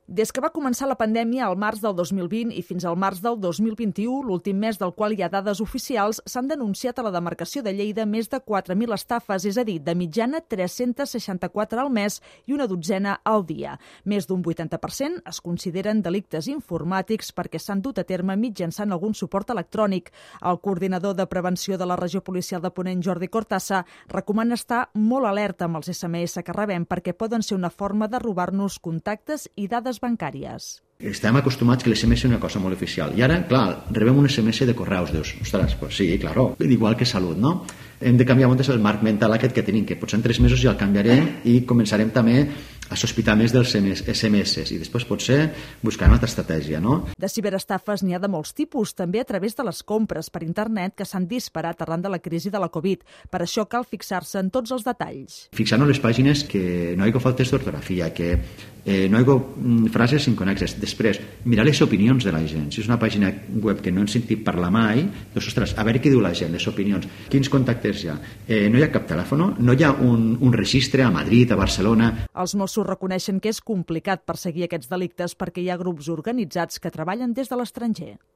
Des que va començar la pandèmia al març del 2020 i fins al març del 2021, l'últim mes del qual hi ha dades oficials, s'han denunciat a la demarcació de Lleida més de 4.000 estafes, és a dir, de mitjana 364 al mes i una dotzena al dia. Més d'un 80% es consideren delictes informàtics perquè s'han dut a terme mitjançant algun suport electrònic. El coordinador de prevenció de la regió policial de Ponent, Jordi Cortassa, recomana estar molt alerta amb els SMS que rebem perquè poden ser una forma de robar-nos contactes i dades bancàries. Estem acostumats que l'SMS és una cosa molt oficial. I ara, clar, rebem un SMS de correus. Dius, ostres, pues sí, claro, igual que salut, no? Hem de canviar moltes el marc mental aquest que tenim, que potser en 3 mesos ja el canviarem i començarem també a sospitar més dels SMS i després potser buscar una altra estratègia, no? De ciberestafes n'hi ha de molts tipus, també a través de les compres per internet que s'han disparat arran de la crisi de la Covid. Per això cal fixar-se en tots els detalls. Fixar-nos les pàgines que no hi ha faltes d'ortografia, que no hi ha frases inconexes. Després, mirar les opinions de la gent. Si és una pàgina web que no hem sentit parlar mai, doncs, ostres, a veure què diu la gent, les opinions. Quins contactes hi ha? No hi ha cap telèfon? No hi ha un registre a Madrid, a Barcelona? Els Mossos reconeixen que és complicat perseguir aquests delictes perquè hi ha grups organitzats que treballen des de l'estranger.